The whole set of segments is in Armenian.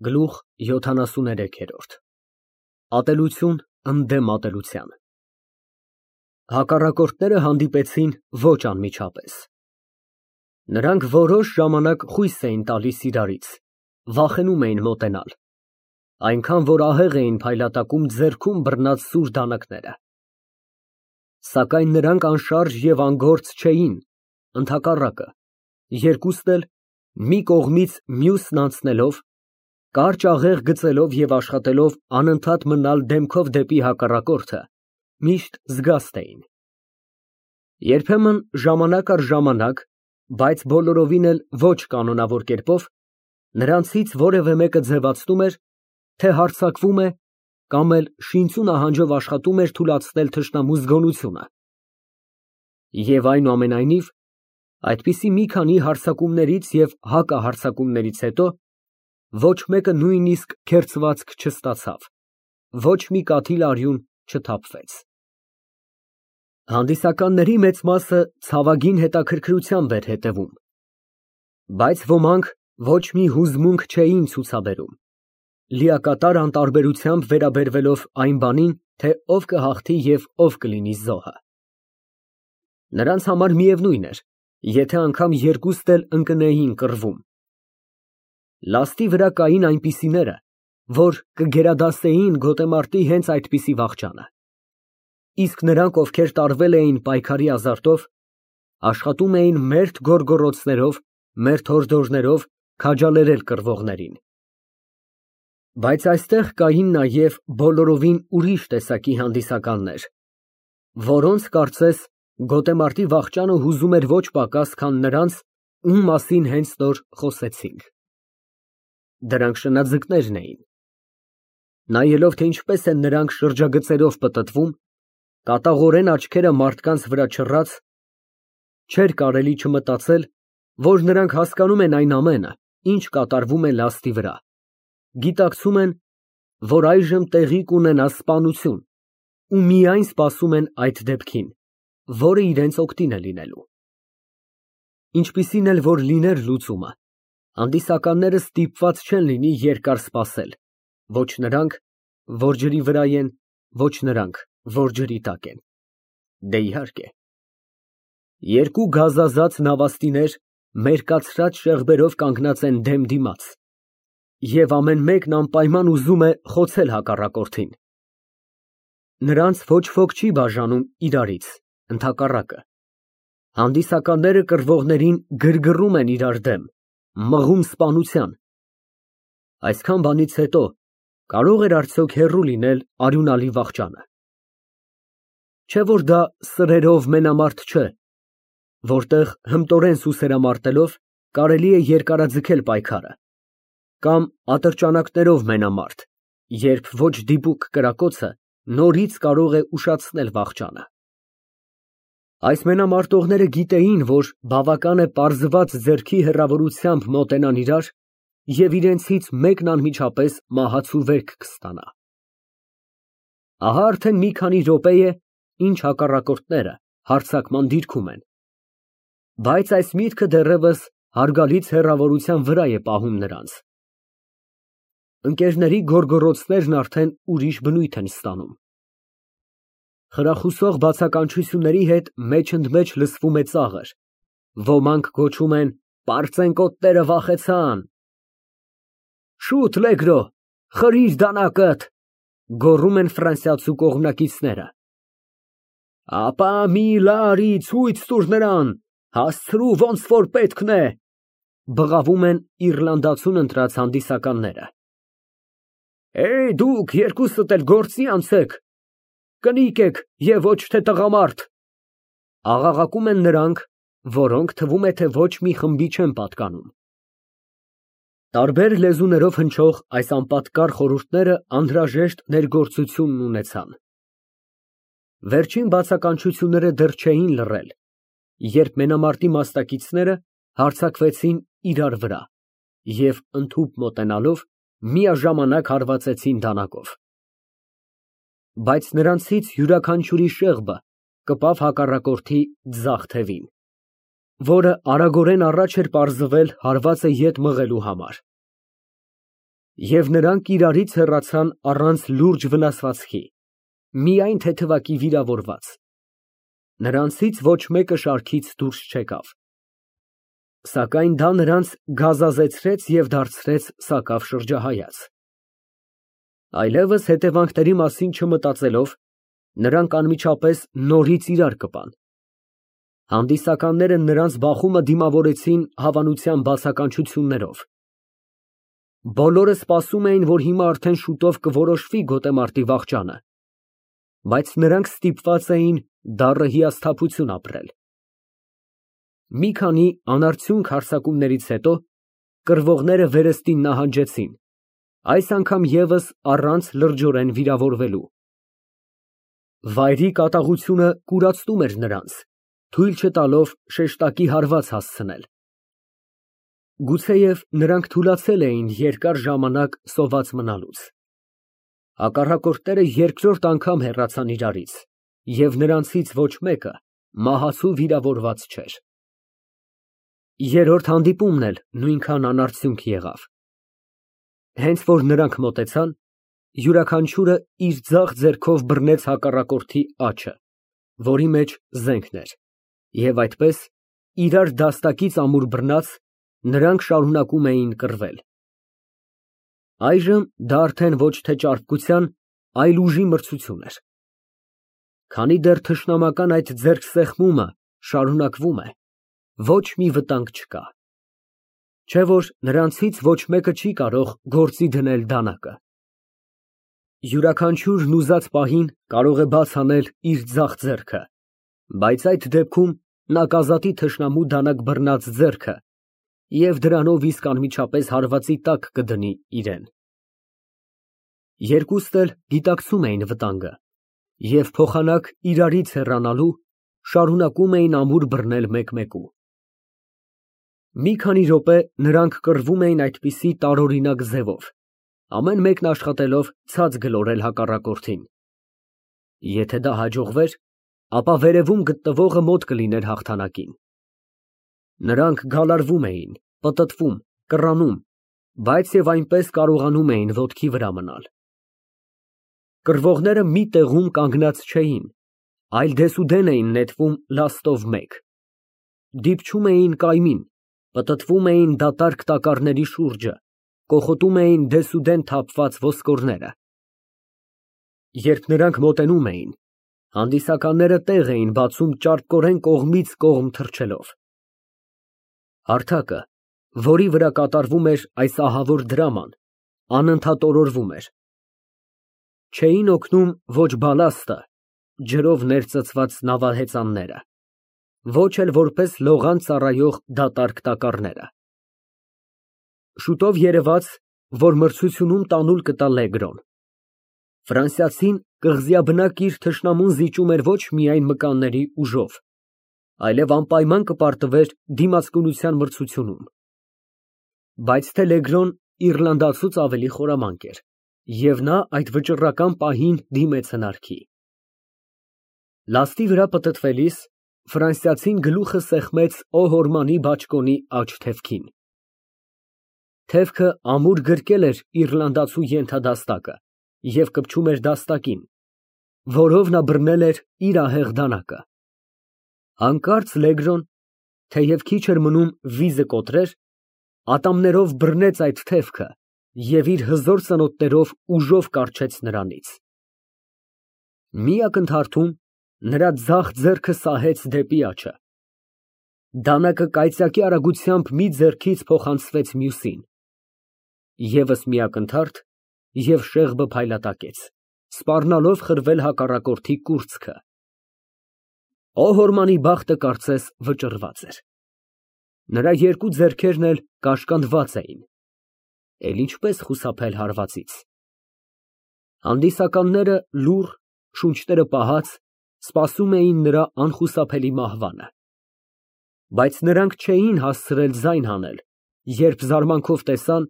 Գլուխ 73 Ատելություն ընդդեմ ատելության Հակառակորդները հանդիպեցին ոչ անմիջապես։ Նրանք որոշ ժամանակ խույս էին տալիս իրարից, վախենում էին մոտենալ, այնքան որ ահեղ էին փայլատակում ձեռքում բռնած սուր դանակները։ Սակայն նրանք անշարժ և անգործ չէին, ընդհակառակը, երկուստ էլ մի կողմից մյուսն անցնելով, կարճ աղեղ գծելով և աշխատելով անընդհատ մնալ դեմքով դեպի հակառակորդը, միշտ զգաստ էին։ Երբեմն ժամանակ առ ժամանակ, բայց բոլորովին էլ ոչ կանոնավոր կերպով, նրանցից որևէ մեկը ձևացնում էր, թե հարձակվում է կամ էլ շինծու նահանջով աշխատում էր թուլացնել թշնամու զգոնությունը։ Եվ այնուամենայնիվ, այդպիսի մի քանի հարձակումներից և հակահարձակումներից հետո ոչ մեկը նույնիսկ քերծվածք չստացավ, ոչ մի կաթիլ արյուն չթափվեց։ Հանդիսականների մեծ մասը ցավագին հետաքրքրությամբ էր հետևում, բայց ոմանք ոչ մի հուզմունք չէին ցուցաբերում, լիակատար անտարբերությամբ վերաբերվելով այն բանին, թե ով կհաղթի և ով կլինի զոհը։ Նրանց համար միևնույն էր, եթե անգամ երկուստ էլ ընկնեին կռվում։ Լաստի վրա կային այնպիսիները, որ կգերադասեին գոտեմարտի հենց այդպիսի վախճանը, իսկ նրանք, ովքեր տարվել էին պայքարի ազարտով, աշխատում էին մերթ գոռգոռոցներով, մերթ հորդորներով քաջալերել կռվողներին։ Բայց այստեղ կային նաև բոլորովին ուրիշ տեսակի հանդիսականներ, որոնց, կարծես, գոտեմարտի վախճանը հուզում էր ոչ պակաս, քան նրանց, ում մասին հենց նոր խոսեցինք։ Դրանք շնաձկներն էին։ Նայելով, թե ինչպես են նրանք շրջագծերով պտտվում, կատաղորեն աչքերը մարդկանց վրա չռած, չէր կարելի չմտածել, որ նրանք հասկանում են այն ամենը, ինչ կատարվում է լաստի վրա, գիտակցում են, որ այժմ տեղի կունենա սպանություն, ու միայն սպասում են այդ դեպքին, որը իրենց օգտին է լինելու։ Ինչպիսին էլ որ լիներ լուծումը, հանդիսականները ստիպված չեն լինի երկար սպասել, ոչ նրանք, որ ջրի վրա են, ոչ նրանք, որ ջրի տակ են։ Դե իհարկե։ Երկու գազազած նավաստիներ մերկացրած շեղբերով կանգնած են դեմ դիմաց, և ամեն մեկն անպայման ուզում է խոցել հակառակորդին։ Նրանց ոչ ոք չի բաժանում իրարից, ընդհակառակը։ Հանդիսականները կռվողներին գրգռում են իրար դեմ, մղում սպանության։ Այսքան բանից հետո կարո՞ղ էր արդյոք հեռու լինել արյունալի վախճանը։ Չէ՞ որ դա սրերով մենամարտ չէ, որտեղ հմտորեն սուսերամարտելով կարելի է երկարաձգել պայքարը, կամ ատրճանակներով մենամարտ, երբ ոչ դիպուկ կրակոցը նորից կարող է ուշացնել վախճանը։ Այս մենամարտողները գիտեին, որ բավական է պարզված ձեռքի հեռավորությամբ մոտենան իրար, և իրենցից մեկն անմիջապես մահացու վերք կստանա։ Ահա արդեն մի քանի րոպե է, ինչ հակառակորդները հարձակման դիրքում են, բայց այս միտքը դեռևս հարգալից հեռավորության վրա է պահում նրանց։ Ընկերների գոռգոռոցներն արդեն ուրիշ բնույթ են ստանում։ Խրախուսող բացականչությունների հետ մեջ-ընդմեջ լսվում է ծաղր, ոմանք գոչում են պարծենկոտները վախեցան։ Շուտ, Լեգրո, խրիր դանակդ, գոռում են ֆրանսիացու կողմնակիցները։ Ապա մի լարի ցույց տուր նրան, հասցրու ոնց որ պետքն է, բղավում են իռլանդացուն ընտրած հանդիսականները։ Դուք երկուսդ էլ գործի անցեք, կնիկ եք և ոչ թե տղամարդ, աղաղակում են նրանք, որոնք թվում է, թե ոչ մի խմբի չեն պատկանում։ Տարբեր լեզուներով հնչող այս անպատկառ խորհուրդները անհրաժեշտ ներգործությունն ունեցան։ Վերջին բացականչությունները դեռ չէին լռել, երբ մենամարտի մասնակիցները հարձակվեցին իրար վրա և ընդհուպ մոտենալով միաժամանակ հարվածեցին դանակով։ Բայց նրանցից յուրաքանչյուրի շեղբը կպավ հակառակորդի ձախ թևին, որը արագորեն առաջ էր պարզվել հարվածը ետ մղելու համար։ Եվ նրանք իրարից հեռացան առանց լուրջ վնասվածքի, միայն թեթևակի վիրավորված. նրանցից ոչ մեկը շարքից դուրս չեկավ, սակայն դա նրանց գազազեցրեց և դարձրեց սակավ շրջահայաց։ Այլևս հետևանքների մասին չմտածելով, նրանք անմիջապես նորից իրար կպան։ Հանդիսականները նրանց բախումը դիմավորեցին հավանության բացականչություններով։ Բոլորը սպասում էին, որ հիմա արդեն շուտով կորոշվի գոտեմարտի վախճանը, բայց նրանք ստիպված էին դառը հիասթափություն ապրել։ Մի քանի անարդյունք հարձակումներից հետո կռվողները վերստին նահանջեցին, այս անգամ ևս առանց լրջորեն վիրավորվելու։ Վայրի կատաղությունը կուրացնում էր նրանց, թույլ չտալով շեշտակի հարված հասցնել։ Գուցեև նրանք թուլացել էին երկար ժամանակ սոված մնալուց։ Հակառակորդները երկրորդ անգամ հեռացան իրարից, և նրանցից ոչ մեկը մահացու վիրավորված չէր։ Երրորդ հանդիպումն էլ նույնքան անարդյունք եղավ։ Հենց որ նրանք մոտեցան, յուրաքանչյուրը իր ձախ ձեռքով բռնեց հակառակորդի աջը, որի մեջ զենքն էր, և այդպես, իրար դաստակից ամուր բռնած, նրանք շարունակում էին կռվել։ Այժմ դա արդեն ոչ թե ճարպկության, այլ ուժի մրցություն էր։ Քանի դեռ թշնամական այդ ձեռքսեղմումը շարունակվում է, ոչ մի վտանգ չկա, չէ որ նրանցից ոչ մեկը չի կարող գործի դնել դանակը։ Յուրաքանչյուրն ուզած պահին կարող է բաց անել իր ձախ ձեռքը, բայց այդ դեպքում նա կազատի թշնամու դանակ բռնած ձեռքը և դրանով իսկ անմիջապես հարվածի տակ կդնի իրան։ Երկուստ էլ գիտակցում էին վտանգը և փոխանակ իրարից հեռանալու շարունակում էին ամուր բռնել մեկմեկու։ Մի քանի րոպե նրանք կռվում էին այդպիսի տարօրինակ ձևով, ամեն մեկն աշխատելով ցած գլորել հակառակորդին։ Եթե դա հաջողվեր, ապա վերևում գտնվողը մոտ կլիներ հաղթանակին։ Նրանք գալարվում էին, պտտվում, կռանում, բայց և այնպես կարողանում էին ոտքի վրա մնալ։ Կռվողները մի տեղում կանգնած չէին, այլ դեսուդեն էին նետվում լաստով մեկ։ Դիպչում էին կայմին, պտտվում էին դատարկ տակառների շուրջը, կոխոտում էին դեսուդեն թափված ոսկորները։ Երբ նրանք մոտենում էին, հանդիսականները տեղ էին բացում ճարպկորեն կողմից կողմ թռչելով։ Հարթակը, որի վրա կատարվում էր այս ահավոր դրաման, անընդհատ օրորվում էր։ Չէին օգնում ոչ բալաստը, ջրով ներծծված նավահեծանները, ոչ էլ որպես լողան ծառայող դատարկ տակառները։ Շուտով երևաց, որ մրցությունում տանուլ կտա Լեգրոն։ Ֆրանսիացին կղզիաբնակ իր թշնամուն զիջում էր ոչ միայն մկանների ուժով, այլև անպայման կպարտվեր դիմացկունության մրցությունում։ Բայց թե Լեգրոն իռլանդացուց ավելի խորամանկ էր, և նա այդ վճռական պահին դիմեց հնարքի։ Լաստի վրա պտտվելիս ֆրանսիացին գլուխը սեղմեց Օհորմանի բաճկոնի աջ թևքին։ Թևքը ամուր գրկել էր իռլանդացու ենթադաստակը և կպչում էր դաստակին, որով նա բռնել էր իր ահեղ դանակը։ Հանկարծ Լեգրոն, թեև քիչ էր մնում վիզը կոտրեր, ատամներով բռնեց այդ թևքը և իր հզոր ծնոտներով ուժով կառչեց նրանից։ Մի ակնթարթում նրա ձախ ձեռքը սահեց դեպի աջը։ Դանակը կայծակի արագությամբ մի ձեռքից փոխանցվեց մյուսին։ Եվս մի ակնթարթ, և շեղբը փայլատակեց, սպառնալով խրվել հակառակորդի կուրծքը։ Օհորմանի բախտը կարծես վճռված էր։ Նրա երկու ձեռքերն էլ կաշկանդված էին։ Էլ ինչպես խուսափել հարվածից։ Հանդիսականները լուռ, շունչները պահած, սպասում էին նրա անխուսափելի մահվանը։ Բայց նրանք չէին հասցրել ձայն հանել, երբ զարմանքով տեսան,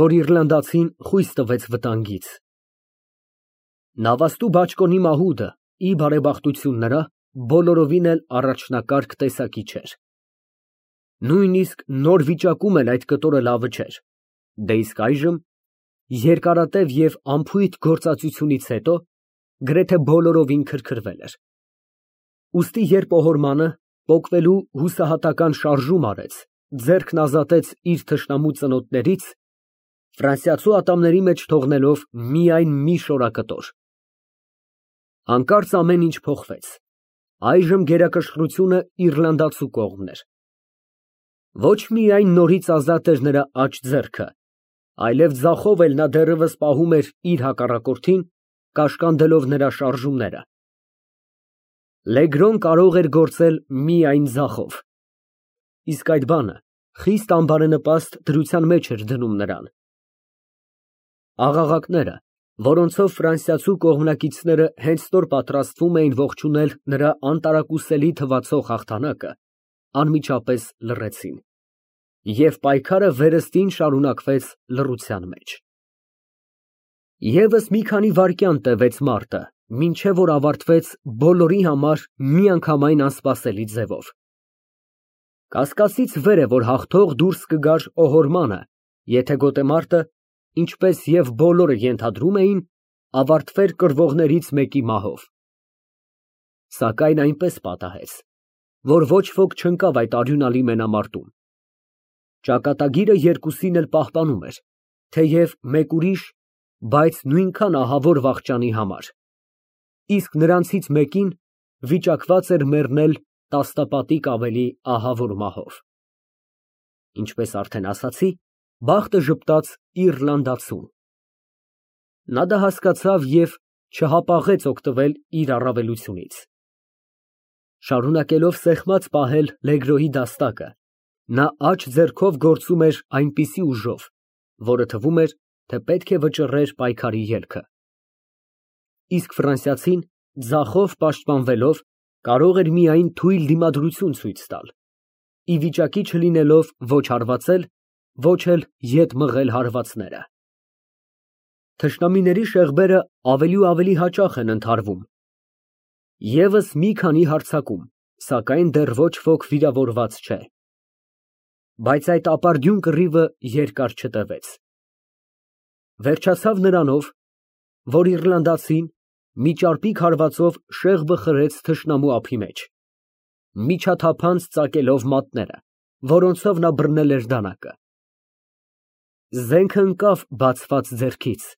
որ իռլանդացին խույս տվեց վտանգից։ Նավաստու բաճկոնի մահուդը, ի բարեբախտություն նրա, բոլորովին էլ առաջնակարգ տեսակի չէր։ Նույնիսկ նոր վիճակում էլ այդ կտորը լավը չէր, դե իսկ այժմ երկարատև և անփույթ գործածությունից հետո գրեթե բոլորովին քրքրվել էր։ Ուստի երբ օհորմանը պոկվելու հուսահատական շարժում արեց, ձեռքն ազատեց իր թշնամու ծնոտներից, ֆրանսիացու ատամների մեջ թողնելով միայն մի շորակտոր։ Հանկարծ ամեն ինչ փոխվեց։ Այժմ գերակշռությունը իռլանդացու կողմն էր։ Ոչ միայն նորից ազատ էր նրա աջ ձեռքը, այլև ձախով էլ նա դեռևս պահում էր իր հակառակորդին, կաշկանդելով նրա շարժումները։ Լեգրոն կարող էր գործել միայն ձախով, իսկ այդ բանը խիստ անբարենպաստ դրության մեջ էր դնում նրան։ Աղաղակները, որոնցով ֆրանսիացու կողմնակիցները հենց նոր պատրաստվում էին ողջունել նրա անտարակուսելի թվացող հաղթանակը, անմիջապես լռեցին, և պայքարը վերստին շարունակվեց լռության մեջ։ Եվս մի քանի վայրկյան տևեց մարտը, մինչև որ ավարտվեց բոլորի համար միանգամայն անսպասելի ձևով։ Կասկածից վեր է, որ հաղթող դուրս կգար օհորմանը, եթե գոտեմարտը, ինչպես և բոլորը ենթադրում էին, ավարտվեր կռվողներից մեկի մահով։ Սակայն այնպես պատահեց, որ ոչ ոք չընկավ այդ արյունալի մենամարտում։ Ճակատագիրը երկուսին էլ պահպանում էր, թեև մեկ ուրիշ, բայց նույնքան ահավոր վախճանի համար, իսկ նրանցից մեկին վիճակված էր մեռնել տասնապատիկ ավելի ահավոր մահով։ Ինչպես արդեն ասացի, բախտը ժպտաց իռլանդացուն։ Նա դա հասկացավ և չհապաղեց օգտվել իր առավելությունից։ Շարունակելով սեղմած պահել Լեգրոյի դաստակը, նա աջ ձեռքով գործում էր այնպիսի ուժով, որը թվում էր, թե պետք է վճռեր պայքարի ելքը։ Իսկ ֆրանսիացին ձախով պաշտպանվելով կարող էր միայն թույլ դիմադրություն ցույց տալ, ի վիճակի չլինելով ոչ հարվածել, ոչ էլ ետ մղել հարվածները։ Թշնամիների շեղբերը ավելի ու ավելի հաճախ են ընդհարվում։ Եվս մի քանի հարձակում, սակայն դեռ ոչ ոք վիրավորված չէ։ Բայց այդ ապարդյուն կռիվը երկար չտևեց։ Վերջացավ նրանով, որ իռլանդացին մի ճարպիկ հարվածով շեղբը խրեց թշնամու ափի մեջ, միջաթափանց ծակելով մատները, որոնցով նա բռնել էր դանակը։ Զենքը ընկավ բացված ձեռքից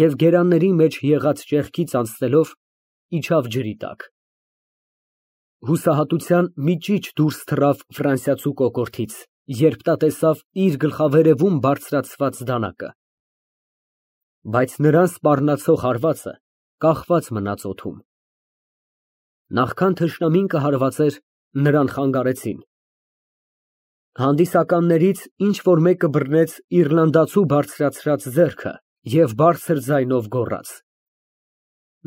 և գերանների մեջ եղած ճեղքից անցնելով իջավ ջրի տակ։ Հուսահատության մի ճիչ դուրս թռավ ֆրանսիացու կոկորդից, երբ նա տեսավ իր գլխավերևում բարձրացված դանակը։ Բայց նրան սպառնացող հարվածը կախված մնաց օդում։ Նախքան թշնամին կհարվածեր, նրան խանգարեցին։ Հանդիսականներից ինչ֊որ մեկը բռնեց իռլանդացու բարձրացրած ձեռքը և բարձր ձայնով գոռաց.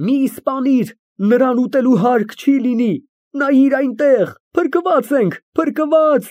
«Մի սպանիր, նրան ուտելու հարկ չի լինի, նայիր այնտեղ, փրկված ենք, փրկված»։